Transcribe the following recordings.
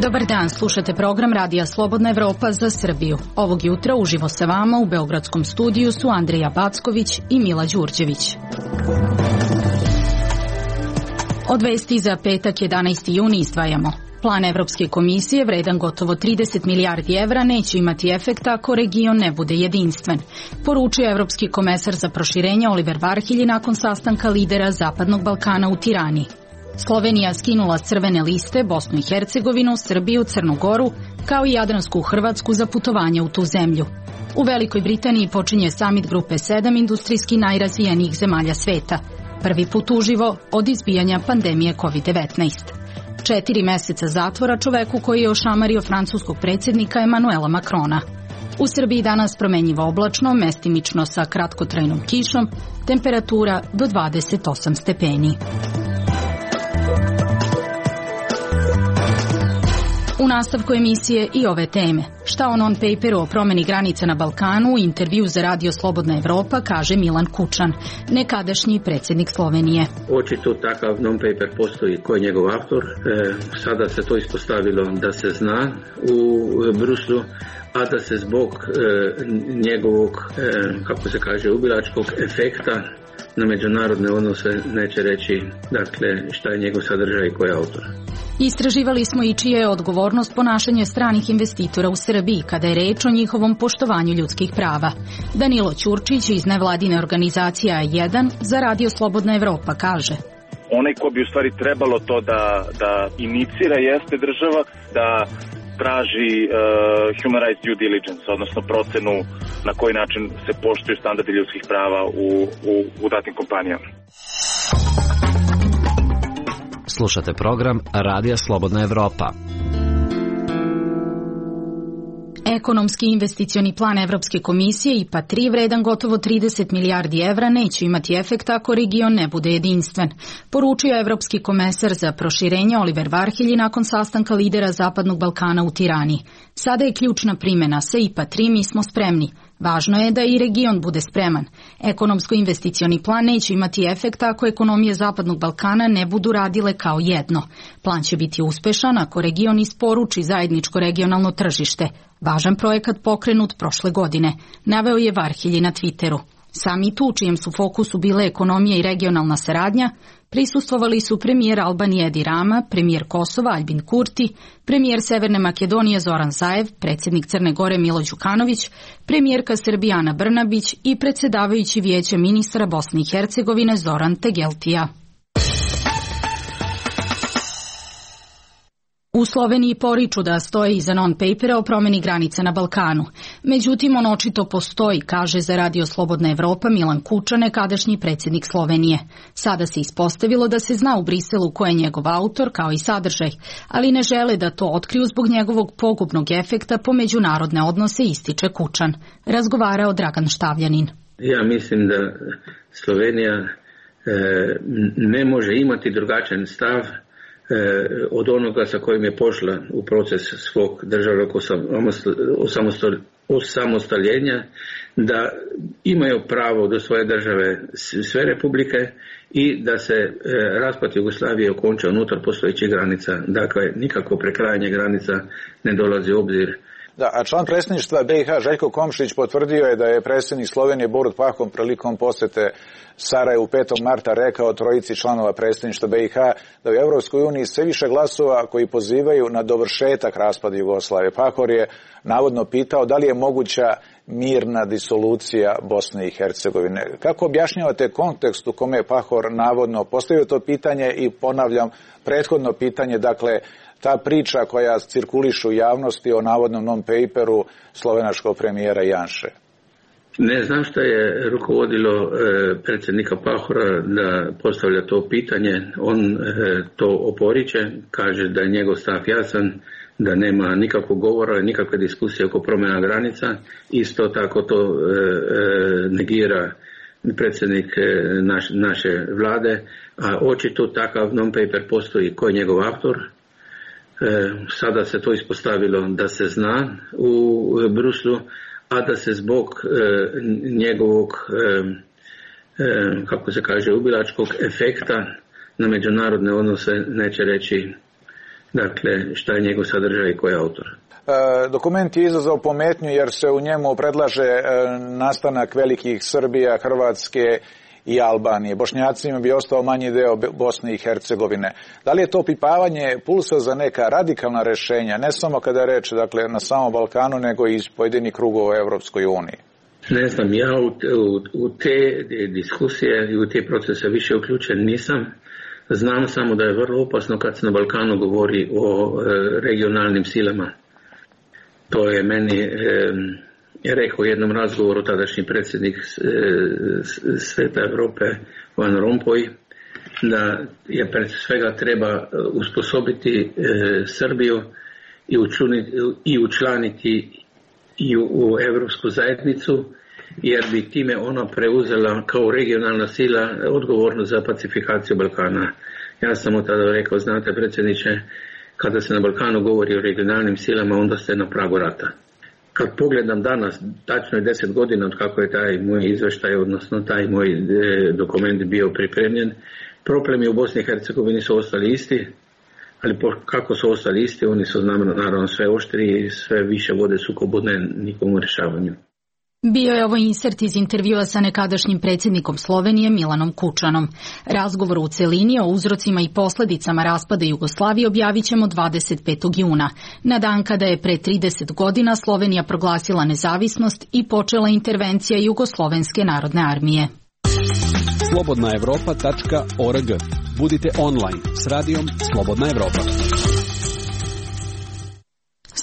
Dobar dan, slušate program Radija Slobodna Evropa za Srbiju. Ovog jutra uživo sa vama u Beogradskom studiju su Andreja Backović i Mila Đurđević. Od vesti za petak 11. juni izdvajamo. Plan Evropske komisije, vredan gotovo 30 milijardi evra, neće imati efekta ako region ne bude jedinstven, poručio Evropski komesar za proširenje Oliver Varhelyi nakon sastanka lidera Zapadnog Balkana u Tirani. Slovenija skinula s crvene liste Bosnu i Hercegovinu, Srbiju, Crnu Goru, kao i Jadransku Hrvatsku za putovanje u tu zemlju. U Velikoj Britaniji počinje samit grupe 7 industrijski najrazvijenijih zemalja sveta. Prvi put uživo od izbijanja pandemije COVID-19. 4 meseca zatvora čoveku koji je ošamario francuskog predsjednika Emanuela Macrona. U Srbiji danas promenjivo oblačno, mestimično sa kratkotrajnom kišom, temperatura do 28 stepeni. U nastavku emisije i ove teme. Šta o non-paperu o promeni granica na Balkanu u intervju za Radio Slobodna Evropa kaže Milan Kučan, nekadašnji predsjednik Slovenije. Očito takav non-paper postoji ko je njegov autor. Sada se to ispostavilo da se zna u Bruslu, a da se zbog njegovog, kako se kaže, ubilačkog efekta na međunarodne odnose neće reći, dakle, šta je njegov sadržaj i ko je autor. Istraživali smo i čija je odgovornost ponašanje stranih investitora u Srbiji kada je reč o njihovom poštovanju ljudskih prava. Danilo Ćurčić iz nevladine organizacije A1 za Radio Slobodna Evropa kaže: onaj ko bi u stvari trebalo to da inicira jeste država, da traži human rights due diligence, odnosno procenu na koji način se poštuju standardi ljudskih prava u datim kompanijama. Slušate program Radija Slobodna Evropa. Ekonomski investicioni plan Evropske komisije IPA 3 vredan gotovo 30 milijardi evra neće imati efekta ako region ne bude jedinstven, poručio Evropski komesar za proširenje Oliver Varhelyi nakon sastanka lidera Zapadnog Balkana u Tirani. Sada je ključna primjena, sa IPA 3 mi smo spremni. Važno je da i region bude spreman. Ekonomsko-investicioni plan neće imati efekta ako ekonomije Zapadnog Balkana ne budu radile kao jedno. Plan će biti uspešan ako region isporuči zajedničko regionalno tržište. Važan projekat pokrenut prošle godine, naveo je Varhelyi na Twitteru. Samitu, u čijem su fokusu bile ekonomija i regionalna saradnja, prisustvovali su premijer Albanije Edi Rama, premijer Kosova Aljbin Kurti, premijer Severne Makedonije Zoran Zaev, predsjednik Crne Gore Milo Đukanović, premijerka Srbije Ana Brnabić i predsjedavajući Vijeća ministra Bosne i Hercegovine Zoran Tegeltija. U Sloveniji poriču da stoje iza non-papera o promjeni granica na Balkanu. Međutim, on očito postoji, kaže za Radio Slobodna Evropa Milan Kučan, nekadašnji predsjednik Slovenije. Sada se ispostavilo da se zna u Briselu ko je njegov autor, kao i sadržaj, ali ne žele da to otkriju zbog njegovog pogubnog efekta po međunarodne odnose, ističe Kučan. Razgovarao Dragan Štavljanin. Ja mislim da Slovenija ne može imati drugačan stav od onoga sa kojim je pošla u proces svog državnog osamostaljenja, da imaju pravo do svoje države sve republike i da se raspad Jugoslavije okonča unutar postojećih granica. Dakle, nikako prekrajanje granica ne dolazi u obzir. Da, a član predsjedništva BiH Željko Komšić potvrdio je da je predsjednik Slovenije Borut Pahor prilikom posjete Sarajevu 5. marta rekao trojici članova predsjedništva BiH da u Europskoj uniji sve više glasova koji pozivaju na dovršetak raspada Jugoslavije. Pahor je navodno pitao da li je moguća mirna disolucija Bosne i Hercegovine. Kako objašnjavate kontekst u kome je Pahor navodno postavio to pitanje i ponavljam prethodno pitanje, dakle ta priča koja cirkuliše u javnosti o navodnom non-paperu slovenačkog premijera Janše? Ne znam šta je rukovodilo predsjednika Pahora da postavlja to pitanje. On to oporiče, kaže da je njegov stav jasan, da nema nikakvog govora, nikakve diskusije oko promjena granica. Isto tako to negira predsjednik naše vlade, a očito takav non-paper postoji. Ko je njegov autor? Sada se to ispostavilo da se zna u Bruslu, a da se zbog njegovog, kako se kaže, ubilačkog efekta na međunarodne odnose neće reći, dakle, šta je njegov sadržaj i ko je autor. Dokument je izazvao pometnju jer se u njemu predlaže nastanak velikih Srbija, Hrvatske i Albanije. Bošnjacima bi ostao manji deo Bosne i Hercegovine. Da li je to pipavanje pulsa za neka radikalna rešenja, ne samo kada je reč, dakle, na samom Balkanu, nego i iz pojedinih krugova u Evropskoj uniji? Ne znam, ja u te diskusije i u te procese više uključen nisam. Znam samo da je vrlo opasno kad se na Balkanu govori o regionalnim silama. To je meni rekao u jednom razgovoru tadašnji predsjednik Sveta Evrope Van Rompuy, da je pred svega treba usposobiti Srbiju i učlaniti i u Evropsku zajednicu, jer bi time ona preuzela kao regionalna sila odgovornost za pacifikaciju Balkana. Ja sam mu tada rekao, znate predsjedniče, kada se na Balkanu govori o regionalnim silama, onda ste na pragu rata. Kad pogledam danas, tačno je 10 godina od kako je taj moj izveštaj, odnosno taj moj dokument bio pripremljen, problemi u Bosni i Hercegovini su ostali isti, ali kako su ostali isti, oni su naravno sve oštriji i sve više vode sukobu nikom u rješavanju. Bio je ovo insert iz intervjua sa nekadašnjim predsjednikom Slovenije Milanom Kučanom. Razgovor u celini o uzrocima i posledicama raspada Jugoslavije objavit ćemo 25. juna, na dan kada je pre 30 godina Slovenija proglasila nezavisnost i počela intervencija Jugoslovenske narodne armije. slobodnaevropa.org. Budite online s radijom Slobodna Evropa.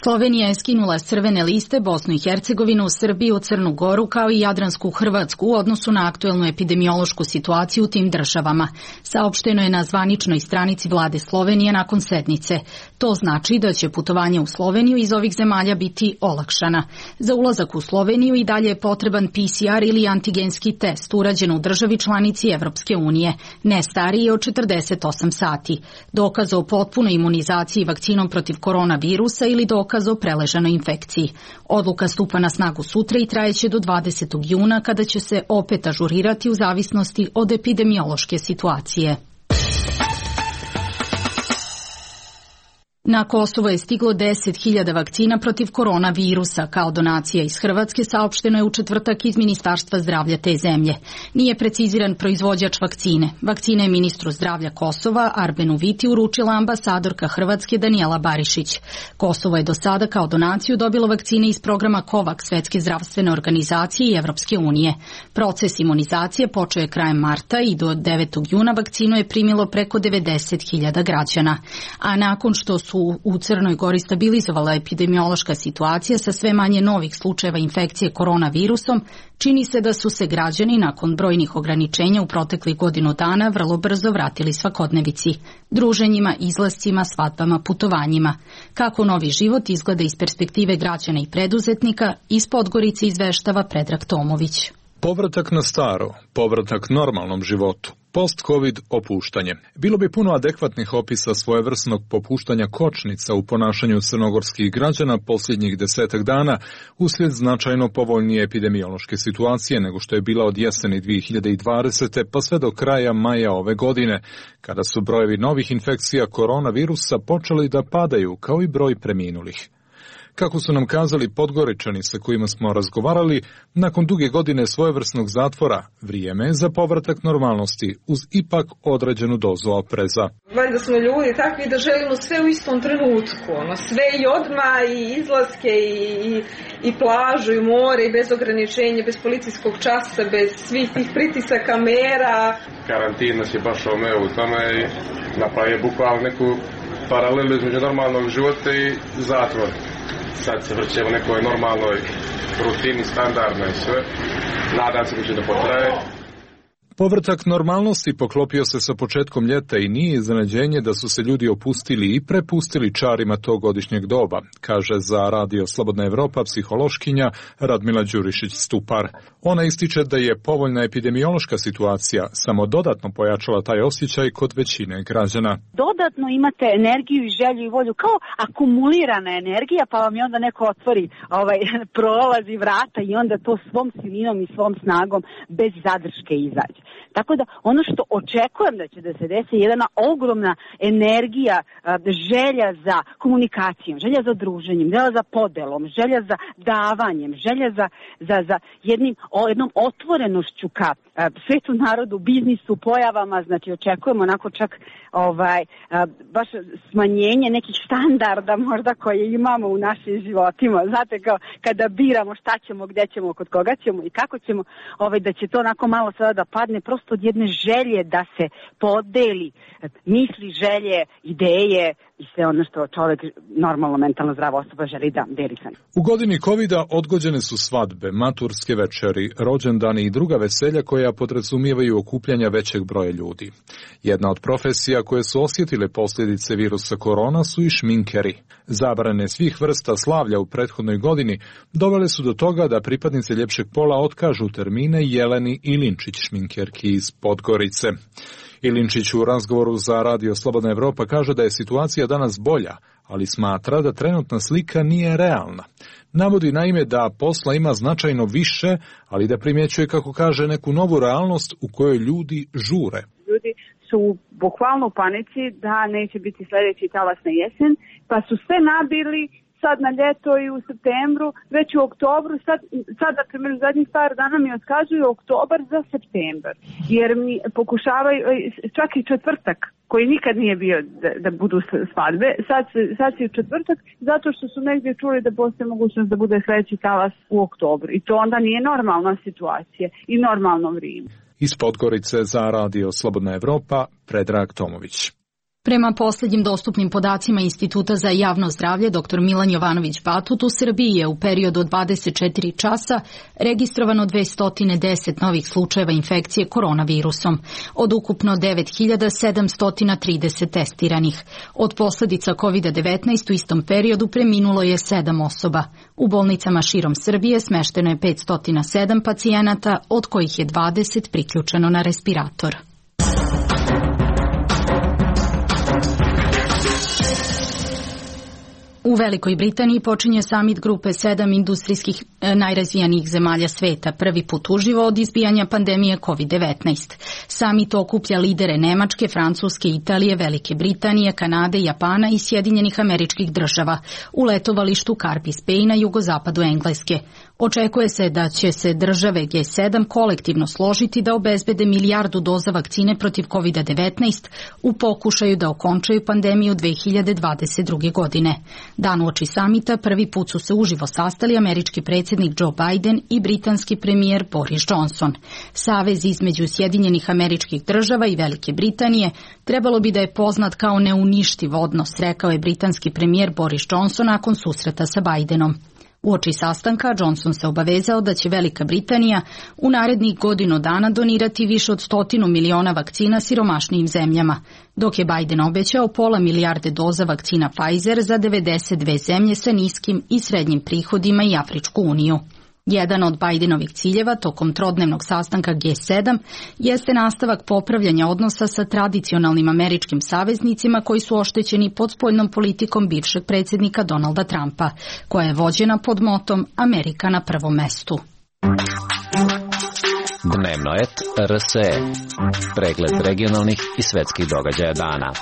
Slovenija je skinula s crvene liste Bosnu i Hercegovinu, Srbiju, Crnu Goru kao i Jadransku Hrvatsku u odnosu na aktuelnu epidemiološku situaciju u tim državama. Saopšteno je na zvaničnoj stranici vlade Slovenije nakon sednice. To znači da će putovanje u Sloveniju iz ovih zemalja biti olakšana. Za ulazak u Sloveniju i dalje je potreban PCR ili antigenski test urađen u državi članici Evropske unije, ne stariji od 48 sati. Dokaz o potpunoj imunizaciji vakcinom protiv koronavirusa ili dokaz o preležanoj infekciji. Odluka stupa na snagu sutra i trajeće do 20. juna kada će se opet ažurirati u zavisnosti od epidemiološke situacije. Na Kosovo je stiglo 10.000 vakcina protiv koronavirusa. Kao donacija iz Hrvatske saopšteno je u četvrtak iz Ministarstva zdravlja te zemlje. Nije preciziran proizvođač vakcine. Vakcine je ministru zdravlja Kosova, Arbenu Viti, uručila ambasadorka Hrvatske Danijela Barišić. Kosovo je do sada kao donaciju dobilo vakcine iz programa COVAX Svetske zdravstvene organizacije i Evropske unije. Proces imunizacije počeo je krajem marta i do 9. juna vakcinu je primilo preko 90.000 građana. A nakon što su u Crnoj Gori stabilizovala epidemiološka situacija sa sve manje novih slučajeva infekcije koronavirusom, čini se da su se građani nakon brojnih ograničenja u proteklih godinu dana vrlo brzo vratili svakodnevici, druženjima, izlascima, svadbama, putovanjima. Kako novi život izgleda iz perspektive građana i preduzetnika, iz Podgorice izveštava Predrag Tomović. Povratak na staro, povratak normalnom životu. Post-Covid opuštanje. Bilo bi puno adekvatnih opisa svojevrsnog popuštanja kočnica u ponašanju crnogorskih građana posljednjih 10 dana uslijed značajno povoljnije epidemiološke situacije nego što je bila od jeseni 2020. pa sve do kraja maja ove godine, kada su brojevi novih infekcija koronavirusa počeli da padaju kao i broj preminulih. Kako su nam kazali Podgoričani sa kojima smo razgovarali, nakon duge godine svojevrsnog zatvora, vrijeme je za povratak normalnosti uz ipak određenu dozu opreza. Valjda smo ljudi takvi da želimo sve u istom trenutku, sve i odmah, i izlaske, i plažu, i more, i bez ograničenja, bez policijskog časa, bez svih tih pritisaka, mera. Karantin nas je baš omeo u tome i napravio bukvalno neku paralelu između normalnog života i zatvora. Sad se vrćemo nekoj normalnoj rutini, standardnoj sve. Nadam se da će da potraje. Povratak normalnosti poklopio se sa početkom ljeta i nije iznenađenje da su se ljudi opustili i prepustili čarima tog godišnjeg doba, kaže za Radio Slobodna Evropa psihološkinja Radmila Đurišić-Stupar. Ona ističe da je povoljna epidemiološka situacija samo dodatno pojačala taj osjećaj kod većine građana. Dodatno imate energiju i želju i volju, kao akumulirana energija, pa vam je onda neko otvori prolazi vrata i onda to svom silinom i svom snagom bez zadrške izađe. Tako da ono što očekujem da će da se desi je jedna ogromna energija, želja za komunikacijom, želja za druženjem, želja za podelom, želja za davanjem, želja za jednom otvorenošću ka svetu, narodu, biznisu, pojavama. Znači očekujemo onako čak baš smanjenje nekih standarda možda koje imamo u našim životima. Znate, kao kada biramo šta ćemo, gde ćemo, kod koga ćemo i kako ćemo, da će to onako malo sada da padne prosto od jedne želje da se podeli misli, želje, ideje i sve ono što čovjek, normalno mentalno zdrava osoba, želi da deli sa njim. U godini covida odgođene su svadbe, maturske večeri, rođendani i druga veselja koja podrazumijevaju okupljanja većeg broja ljudi. Jedna od profesija koje su osjetile posljedice virusa korona su i šminkeri. Zabrane svih vrsta slavlja u prethodnoj godini dovele su do toga da pripadnice ljepšeg pola otkažu termine Jeleni Ilinčić, šminkerki iz Podgorice. Ilinčić u razgovoru za Radio Slobodna Evropa kaže da je situacija danas bolja, ali smatra da trenutna slika nije realna. Navodi naime da posla ima značajno više, ali da primjećuje, kako kaže, neku novu realnost u kojoj ljudi žure. Ljudi su bukvalno u panici da neće biti sljedeći talas na jesen, pa su sve nabili sad na ljeto i u septembru, već u oktobru, sad na primjer zadnjih par dana mi otkazuju oktobar za septembar, jer mi pokušavaju, čak i četvrtak, koji nikad nije bio da budu svadbe, sad si u četvrtak, zato što su negdje čuli da postoji mogućnost da bude sljedeći talas u oktobru. I to onda nije normalna situacija i normalno vrijeme. Iz Podgorice za Radio Slobodna Evropa, Predrag Tomović. Prema posljednjim dostupnim podacima Instituta za javno zdravlje, dr. Milan Jovanović-Batut, u Srbiji je u periodu od 24 časa registrovano 210 novih slučajeva infekcije koronavirusom, od ukupno 9730 testiranih. Od posljedica COVID-19 u istom periodu preminulo je 7 osoba. U bolnicama širom Srbije smešteno je 507 pacijenata, od kojih je 20 priključeno na respirator. U Velikoj Britaniji počinje samit grupe 7 industrijskih najrazvijanijih zemalja sveta, prvi put uživo od izbijanja pandemije COVID-19. Samit okuplja lidere Nemačke, Francuske, Italije, Velike Britanije, Kanade, Japana i Sjedinjenih Američkih Država u letovalištu Carpis Bay na jugozapadu Engleske. Očekuje se da će se države G7 kolektivno složiti da obezbede 1 milijardu doza vakcine protiv COVID-19 u pokušaju da okončaju pandemiju 2022. godine. Dan uoči samita prvi put su se uživo sastali američki predsjednik Joe Biden i britanski premijer Boris Johnson. Savez između Sjedinjenih Američkih Država i Velike Britanije trebalo bi da je poznat kao neuništiv odnos, rekao je britanski premijer Boris Johnson nakon susreta sa Bidenom. Uoči sastanka Johnson se obavezao da će Velika Britanija u narednih godinu dana donirati više od 100 miliona vakcina siromašnijim zemljama, dok je Biden obećao 0,5 milijarde doza vakcina Pfizer za 92 zemlje sa niskim i srednjim prihodima i Afričku uniju. Jedan od Bidenovih ciljeva tokom trodnevnog sastanka G7 jeste nastavak popravljanja odnosa sa tradicionalnim američkim saveznicima koji su oštećeni pod spoljnom politikom bivšeg predsjednika Donalda Trumpa, koja je vođena pod motom Amerika na prvom mestu. Dnevno et RSE. Pregled regionalnih i svetskih događaja dana.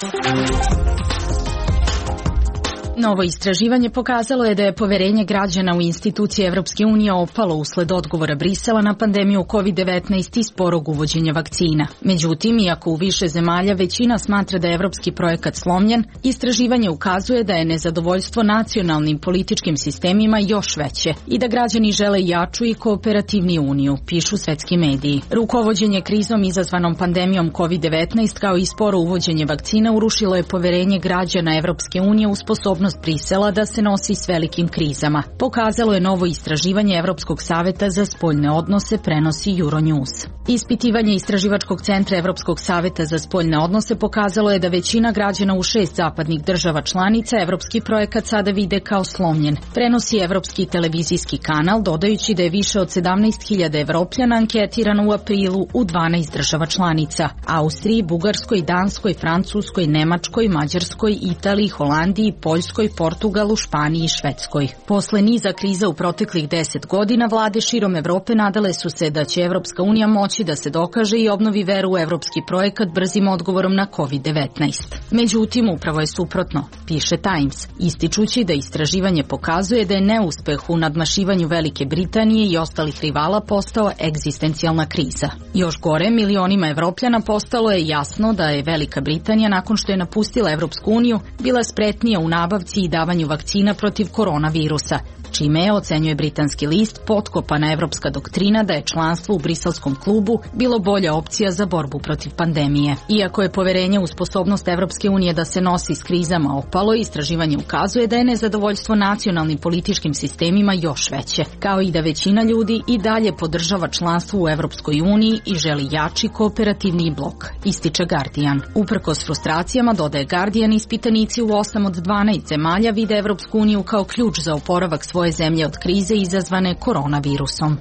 Novo istraživanje pokazalo je da je poverenje građana u institucije Evropske unije opalo usled odgovora Brisela na pandemiju COVID-19 i sporog uvođenja vakcina. Međutim, iako u više zemalja većina smatra da je evropski projekat slomljen, istraživanje ukazuje da je nezadovoljstvo nacionalnim političkim sistemima još veće i da građani žele jaču i kooperativniju uniju, pišu svetski mediji. Rukovođenje krizom izazvanom pandemijom COVID-19 kao i sporo uvođenje vakcina urušilo je poverenje građana Evropske unije u sposobnost sposobnost Brisela da se nosi s velikim krizama, pokazalo je novo istraživanje Evropskog saveta za spoljne odnose, prenosi Euronews. Ispitivanje Istraživačkog centra Evropskog saveta za spoljne odnose pokazalo je da većina građana u 6 zapadnih država članica evropski projekat sada vide kao slomljen. Prenosi Evropski televizijski kanal, dodajući da je više od 17.000 Evropljana anketirano u aprilu u 12 država članica: Austriji, Bugarskoj, Danskoj, Francuskoj, Nemačkoj, Mađarskoj, Italiji, Holandiji, Poljskoj, Portugalu, Španiji i Švedskoj. Posle niza kriza u proteklih 10 godina, vlade širom Evrope nadale su se da će Evropska unija moći da se dokaže i obnovi veru u evropski projekat brzim odgovorom na COVID-19. Međutim, upravo je suprotno, piše Times, ističući da istraživanje pokazuje da je neuspeh u nadmašivanju Velike Britanije i ostalih rivala postao egzistencijalna kriza. Još gore, milionima Evropljana postalo je jasno da je Velika Britanija, nakon što je napustila Evropsku uniju, bila spretnija u nabavci i davanju vakcina protiv koronavirusa, čime je, ocenjuje britanski list, potkopana evropska doktrina da je članstvo u Briselskom klubu bilo bolja opcija za borbu protiv pandemije. Iako je poverenje u sposobnost Evropske unije da se nosi s krizama opalo, istraživanje ukazuje da je nezadovoljstvo nacionalnim političkim sistemima još veće, kao i da većina ljudi i dalje podržava članstvo u Evropskoj uniji i želi jači kooperativni blok, ističe Guardian. Uprkos frustracijama, dodaje Guardian, ispitanici u 8 od 12 zemalja vide Evropsku uniju kao ključ za oporavak svoje zemlje od krize izazvane koronavirusom.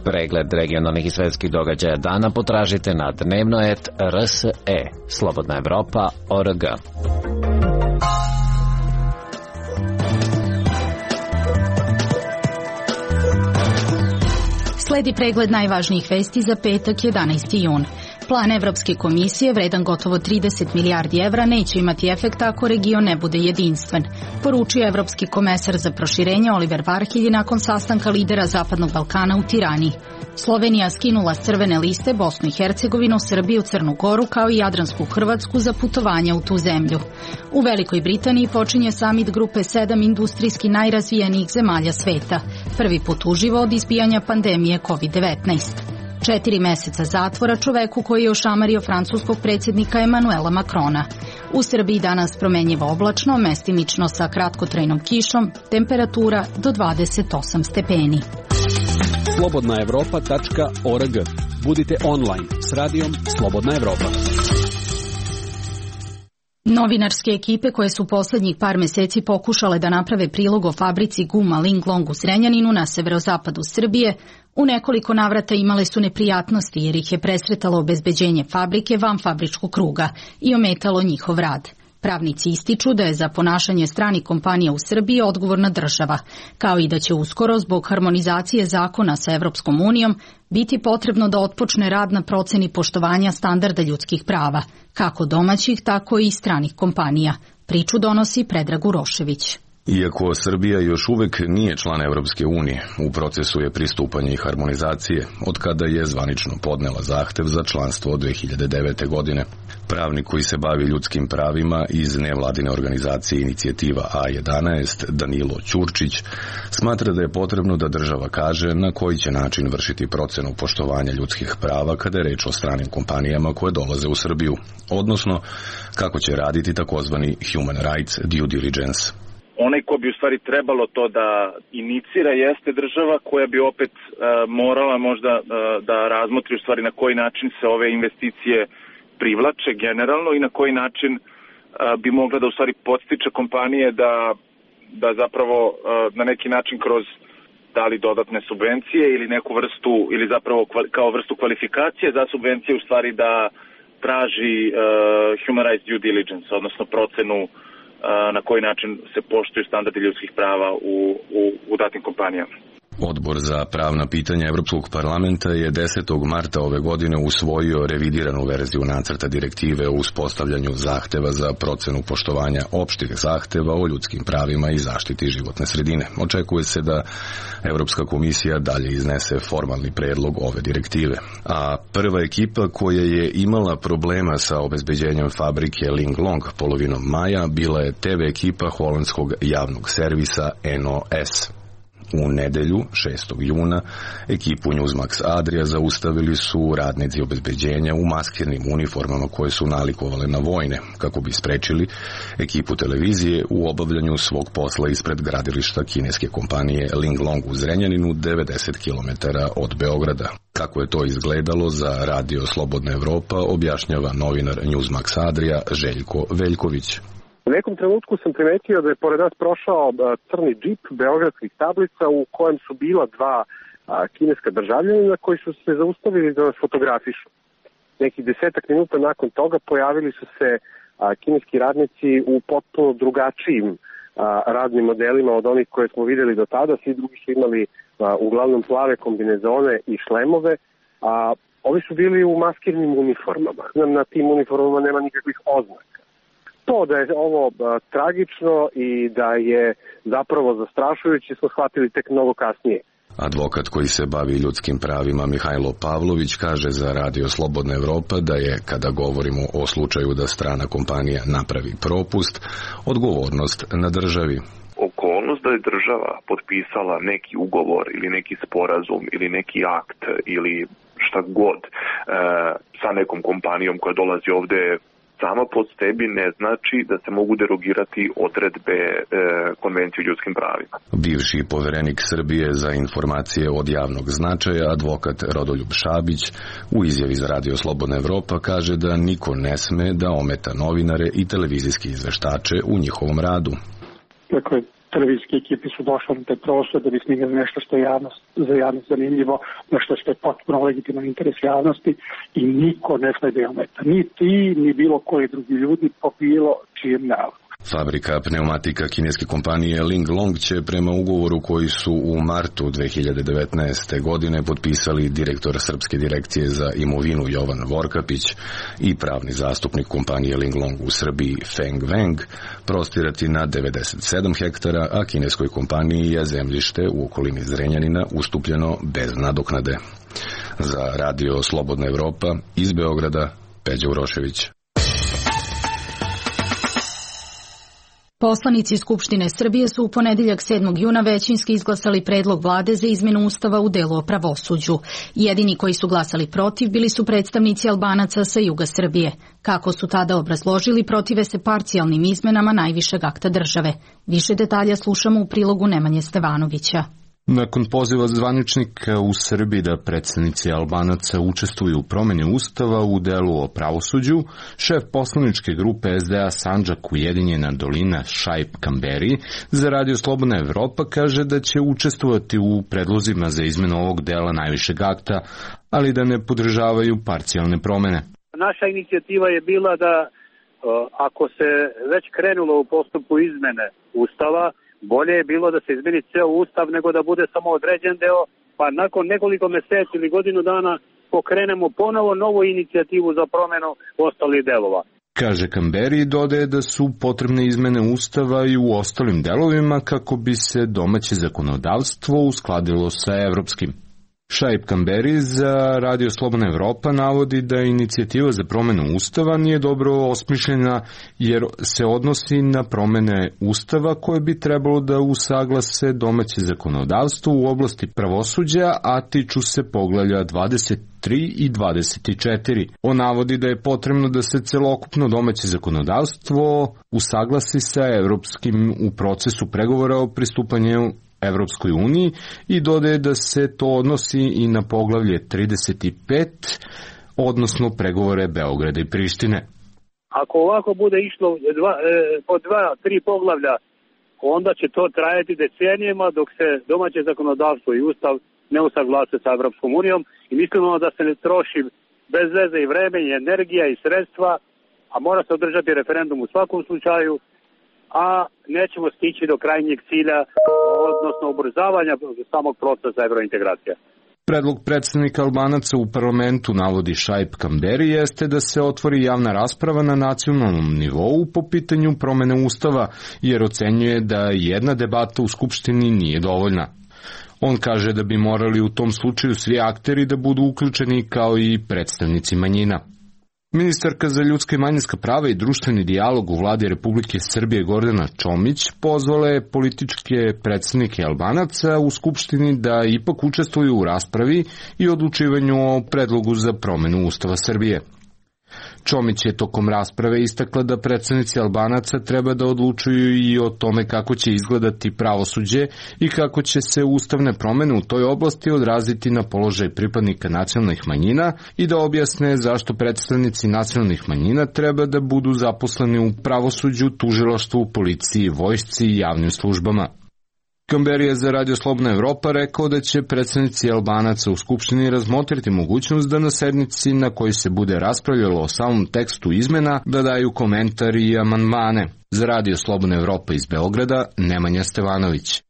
Pregled regionalnih i svetskih događaja dana potražite na dnevno.rse, Slobodna Evropa.org. Sledi pregled najvažnijih vesti za petak 11. jun. Plan Evropske komisije, vredan gotovo 30 milijardi evra, neće imati efekta ako region ne bude jedinstven, poručio Evropski komesar za proširenje Oliver Varhelyi nakon sastanka lidera Zapadnog Balkana u Tirani. Slovenija skinula s crvene liste Bosnu i Hercegovinu, Srbiju, Crnu Goru kao i Jadransku Hrvatsku za putovanja u tu zemlju. U Velikoj Britaniji počinje samit grupe 7 industrijski najrazvijenijih zemalja sveta, prvi put uživo od izbijanja pandemije COVID-19. 4 meseca zatvora čoveku koji je ošamario francuskog predsjednika Emanuela Macrona. U Srbiji danas promenjivo oblačno, mestimično sa kratkotrajnom kišom, temperatura do 28 stepeni. slobodnaevropa.org. Budite online s radijom Slobodna Evropa. Novinarske ekipe koje su poslednjih par meseci pokušale da naprave prilog o fabrici guma Linglong u Zrenjaninu na severozapadu Srbije, u nekoliko navrata imale su neprijatnosti jer ih je presretalo obezbeđenje fabrike van fabričkog kruga i ometalo njihov rad. Pravnici ističu da je za ponašanje stranih kompanija u Srbiji odgovorna država, kao i da će uskoro zbog harmonizacije zakona sa Evropskom unijom biti potrebno da otpočne rad na proceni poštovanja standarda ljudskih prava, kako domaćih, tako i stranih kompanija. Priču donosi Predrag Urošević. Iako Srbija još uvek nije član Evropske unije, u procesu je pristupanja i harmonizacije, od kada je zvanično podnela zahtev za članstvo od 2009. godine. Pravnik koji se bavi ljudskim pravima iz nevladine organizacije Inicijativa A11, Danilo Ćurčić, smatra da je potrebno da država kaže na koji će način vršiti procenu poštovanja ljudskih prava kada je reč o stranim kompanijama koje dolaze u Srbiju, odnosno kako će raditi takozvani human rights due diligence. Onaj ko bi u stvari trebalo to da inicira jeste država koja bi opet morala možda da razmotri u stvari na koji način se ove investicije privlače generalno i na koji način bi mogla da u stvari podstiče kompanije da zapravo na neki način kroz da li dodatne subvencije ili neku vrstu ili zapravo kao vrstu kvalifikacije za subvencije u stvari da traži human rights due diligence, odnosno procenu na koji način se poštuju standardi ljudskih prava u datim kompanijama. Odbor za pravna pitanja Evropskog parlamenta je 10. marta ove godine usvojio revidiranu verziju nacrta direktive o uspostavljanju zahteva za procenu poštovanja opštih zahteva o ljudskim pravima i zaštiti životne sredine. Očekuje se da Evropska komisija dalje iznese formalni predlog ove direktive. A prva ekipa koja je imala problema sa obezbeđenjem fabrike Linglong polovinom maja bila je TV ekipa holandskog javnog servisa NOS. U nedelju, 6. juna, ekipu Newsmax Adria zaustavili su radnici obezbeđenja u maskirnim uniformama koje su nalikovale na vojne, kako bi sprečili ekipu televizije u obavljanju svog posla ispred gradilišta kineske kompanije Linglong u Zrenjaninu, 90 km od Beograda. Kako je to izgledalo za Radio Slobodna Evropa, objašnjava novinar Newsmax Adria Željko Veljković. U nekom trenutku sam primetio da je pored nas prošao crni džip beogradskih tablica u kojem su bila dva kineska državljanina koji su se zaustavili da nas fotografišu. Nekih 10 minuta nakon toga pojavili su se kineski radnici u potpuno drugačijim radnim modelima od onih koje smo videli do tada. Svi drugi su imali uglavnom plave kombinezone i šlemove, a ovi su bili u maskirnim uniformama. Na tim uniformama nema nikakvih oznaka. To da je ovo tragično i da je zapravo zastrašujuće smo shvatili tek mnogo kasnije. Advokat koji se bavi ljudskim pravima Mihajlo Pavlović kaže za Radio Slobodna Evropa da je, kada govorimo o slučaju da strana kompanija napravi propust, odgovornost na državi. Okolnost da je država potpisala neki ugovor ili neki sporazum ili neki akt ili šta god sa nekom kompanijom koja dolazi ovde sama pod sebi ne znači da se mogu derogirati odredbe Konvencije o ljudskim pravima. Bivši poverenik Srbije za informacije od javnog značaja, advokat Rodoljub Šabić, u izjavi za Radio Slobodna Evropa kaže da niko ne sme da ometa novinare i televizijske izveštače u njihovom radu. Dakle, televizijske ekipe su došle na taj prostor da bi snimili nešto što je za javnost zanimljivo, nešto što je potpuno legitiman interes javnosti i niko ne sme da je ometa. Ni ti, ni bilo koji drugi ljudi po bilo čijem nalogu. Fabrika pneumatika kineske kompanije Linglong će prema ugovoru koji su u martu 2019. godine potpisali direktor Srpske direkcije za imovinu Jovan Vorkapić i pravni zastupnik kompanije Linglong u Srbiji Feng Weng prostirati na 97 hektara, a kineskoj kompaniji je zemljište u okolini Zrenjanina ustupljeno bez nadoknade. Za Radio Slobodna Evropa iz Beograda, Peđa Urošević. Poslanici Skupštine Srbije su u ponedeljak 7. juna većinski izglasali predlog vlade za izmenu Ustava u delu o pravosuđu. Jedini koji su glasali protiv bili su predstavnici Albanaca sa juga Srbije. Kako su tada obrazložili, protive se parcijalnim izmenama najvišeg akta države. Više detalja slušamo u prilogu Nemanje Stevanovića. Nakon poziva zvaničnika u Srbiji da predstavnici Albanaca učestvuju u promjeni Ustava u delu o pravosuđu, šef poslaničke grupe SDA Sandžak Ujedinjena dolina Šaip Kamberi za Radio Slobodna Evropa kaže da će učestvovati u predlozima za izmenu ovog dela najvišeg akta, ali da ne podržavaju parcijalne promene. Naša inicijativa je bila da ako se već krenulo u postupku izmene Ustava, bolje je bilo da se izmeni ceo Ustav nego da bude samo određen deo, pa nakon nekoliko meseci ili godinu dana pokrenemo ponovo novu inicijativu za promjenu ostalih delova. Kaže Kamberi i dodaje da su potrebne izmene Ustava i u ostalim delovima kako bi se domaće zakonodavstvo uskladilo sa evropskim. Šaip Kamberi za Radio Slobodna Evropa navodi da inicijativa za promjenu Ustava nije dobro osmišljena jer se odnosi na promjene Ustava koje bi trebalo da usaglase domaće zakonodavstvo u oblasti pravosuđa, a tiču se poglavlja 23 i 24. On navodi da je potrebno da se celokupno domaće zakonodavstvo usaglasi sa evropskim u procesu pregovora o pristupanju Evropskoj uniji i dodaje da se to odnosi i na poglavlje 35, odnosno pregovore Beograda i Prištine. Ako ovako bude išlo po 2-3 poglavlja, onda će to trajati decenijama dok se domaće zakonodavstvo i Ustav ne usaglase sa Evropskom unijom i mislimo da se ne troši bez veze i vreme i energija i sredstva, a mora se održati referendum u svakom slučaju, a nećemo stići do krajnjeg cilja, odnosno ubrzavanja samog procesa evrointegracija. Predlog predstavnika Albanaca u parlamentu, navodi Šaip Kamberi, jeste da se otvori javna rasprava na nacionalnom nivou po pitanju promene Ustava, jer ocenjuje da jedna debata u Skupštini nije dovoljna. On kaže da bi morali u tom slučaju svi akteri da budu uključeni kao i predstavnici manjina. Ministarka za ljudska i manjinska prava i društveni dijalog u vladi Republike Srbije Gordana Čomić pozvala je političke predstavnike Albanaca u Skupštini da ipak učestvuju u raspravi i odlučivanju o predlogu za promenu Ustava Srbije. Čomić je tokom rasprave istakla da predstavnici Albanaca treba da odlučuju i o tome kako će izgledati pravosuđe i kako će se ustavne promene u toj oblasti odraziti na položaj pripadnika nacionalnih manjina i da objasne zašto predstavnici nacionalnih manjina treba da budu zaposleni u pravosuđu, tužilaštvu, policiji, vojsci i javnim službama. Kamberi je za Radio Slobodna Evropa rekao da će predstavnici Albanaca u Skupštini razmotriti mogućnost da na sednici na kojoj se bude raspravljalo o samom tekstu izmena da daju komentar i amandmane. Za Radio Slobodna Evropa iz Beograda, Nemanja Stevanović.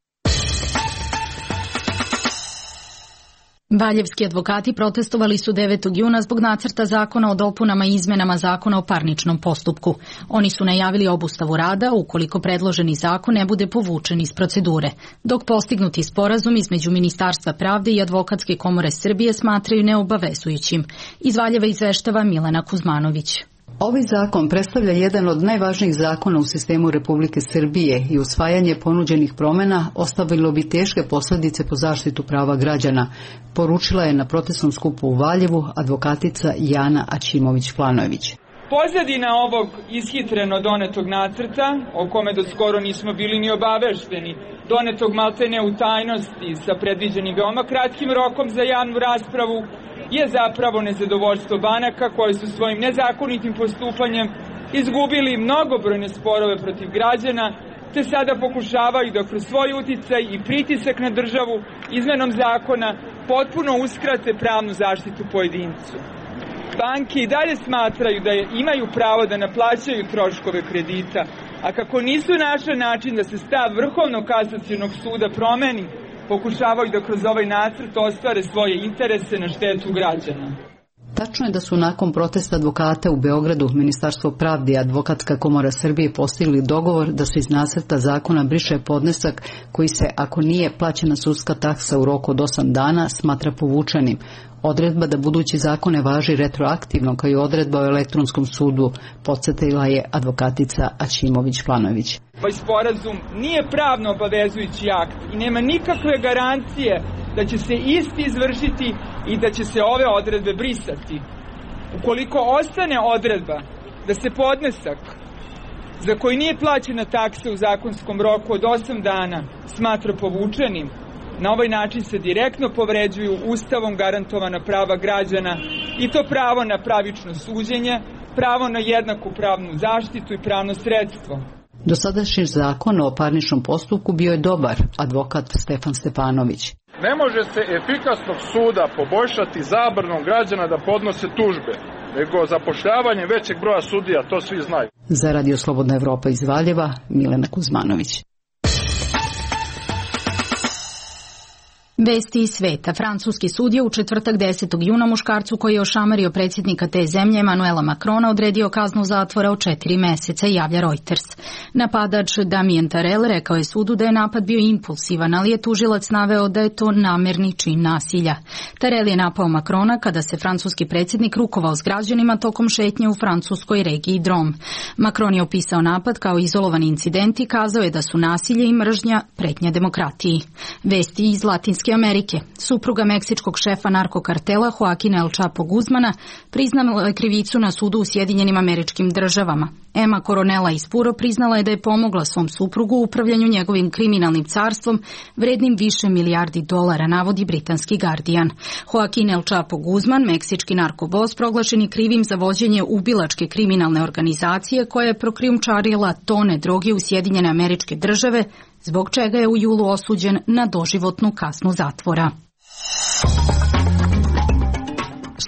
Valjevski advokati protestovali su 9. juna zbog nacrta zakona o dopunama i izmenama zakona o parničnom postupku. Oni su najavili obustavu rada ukoliko predloženi zakon ne bude povučen iz procedure, dok postignuti sporazum između Ministarstva pravde i Advokatske komore Srbije smatraju neobavezujućim. Iz Valjeva izveštava Milena Kuzmanović. Ovaj zakon predstavlja jedan od najvažnijih zakona u sistemu Republike Srbije i usvajanje ponuđenih promena ostavilo bi teške posljedice po zaštitu prava građana, poručila je na protestnom skupu u Valjevu advokatica Jana Aćimović-Planojević. Pozadina ovog ishitreno donetog nacrta, o kome do skoro nismo bili ni obavešteni, donetog maltene u tajnosti sa predviđenim veoma kratkim rokom za javnu raspravu, je zapravo nezadovoljstvo banaka koje su svojim nezakonitim postupanjem izgubili mnogobrojne sporove protiv građana, te sada pokušavaju da kroz svoj uticaj i pritisak na državu izmenom zakona potpuno uskrate pravnu zaštitu pojedincu. Banke i dalje smatraju da imaju pravo da naplaćaju troškove kredita, a kako nisu našli način da se stav Vrhovnog kasacionog suda promeni, pokušavaju da kroz ovaj nacrt ostvare svoje interese na štetu građana. Tačno je da su nakon protesta advokata u Beogradu Ministarstvo pravde i Advokatska komora Srbije postigli dogovor da se iz nacrta zakona briše podnesak koji se, ako nije plaćena sudska taksa u roku od 8 dana, smatra povučenim. Odredba da budući zakon ne važi retroaktivno kao i odredba o elektronskom sudu, podsjetila je advokatica Aćimović-Planović. Ovaj sporazum nije pravno obavezujući akt i nema nikakve garancije da će se isti izvršiti i da će se ove odredbe brisati. Ukoliko ostane odredba da se podnesak za koji nije plaćena taksa u zakonskom roku od 8 dana smatra povučenim, na ovaj način se direktno povređuju Ustavom garantovana prava građana i to pravo na pravično suđenje, pravo na jednaku pravnu zaštitu i pravno sredstvo. Dosadašnji zakon o parničnom postupku bio je dobar, advokat Stefan Stepanović. Ne može se efikasnog suda poboljšati zabranom građana da podnose tužbe, nego zapošljavanje većeg broja sudija, to svi znaju. Za Radio Slobodna Evropa iz Valjeva, Milena Kuzmanović. Vesti iz sveta. Francuski sud je u četvrtak 10. juna muškarcu koji je ošamario predsjednika te zemlje Emanuela Macrona odredio kaznu zatvora od 4 meseca, javlja Reuters. Napadač Damien Tarel rekao je sudu da je napad bio impulsivan, ali je tužilac naveo da je to namerni čin nasilja. Tarel je napao Macrona kada se francuski predsjednik rukovao s građanima tokom šetnje u francuskoj regiji Drôme. Macron je opisao napad kao izolovan incident i kazao je da su nasilje i mržnja pretnja demokratiji. Vesti iz Latinske Amerike. Supruga meksičkog šefa narkokartela Joaquina El Chapo Guzmana priznala je krivicu na sudu u Sjedinjenim Američkim Državama. Emma Coronella iz Puro priznala je da je pomogla svom suprugu u upravljanju njegovim kriminalnim carstvom vrednim više milijardi dolara, navodi britanski Guardian. Joaquin El Chapo Guzman, meksički narkobos, proglašen je krivim za vođenje ubilačke kriminalne organizacije koja je prokrijumčarila tone droge u Sjedinjene Američke Države, zbog čega je u julu osuđen na doživotnu kaznu zatvora.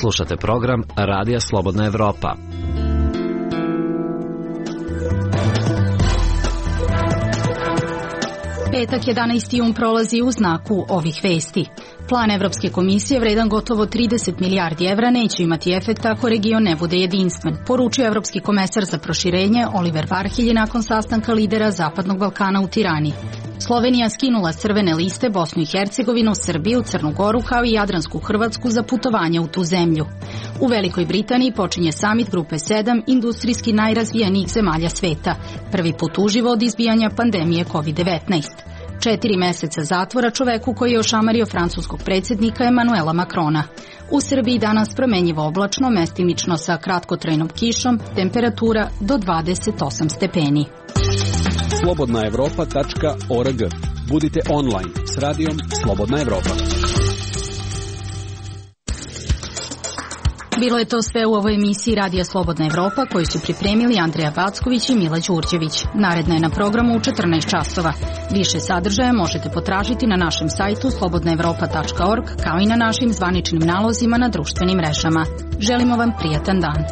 Slušate program Radija Slobodna Evropa. Petak 11. jun prolazi u znaku ovih vesti. Plan Evropske komisije vredan gotovo 30 milijardi evra neće imati efekta ako region ne bude jedinstven, poručio Evropski komesar za proširenje Oliver Varhelyi nakon sastanka lidera Zapadnog Balkana u Tirani. Slovenija skinula s crvene liste Bosnu i Hercegovinu, Srbiju, Crnu Goru kao i Jadransku Hrvatsku za putovanje u tu zemlju. U Velikoj Britaniji počinje samit grupe 7 industrijski najrazvijenijih zemalja sveta, prvi put uživo od izbijanja pandemije COVID-19. 4 meseca zatvora čoveku koji je ošamario francuskog predsjednika Emanuela Macrona. U Srbiji danas promenjivo oblačno, mestimično sa kratkotrajnom kišom, temperatura do 28 stepeni. slobodnaevropa.org. Budite online s radijom Slobodna Evropa. Bilo je to sve u ovoj emisiji Radija Slobodna Evropa koju su pripremili Andreja Backović i Mila Đurđević. Naredna je na programu u 14 časova. Više sadržaja možete potražiti na našem sajtu slobodnaevropa.org kao i na našim zvaničnim nalozima na društvenim mrežama. Želimo vam prijatan dan.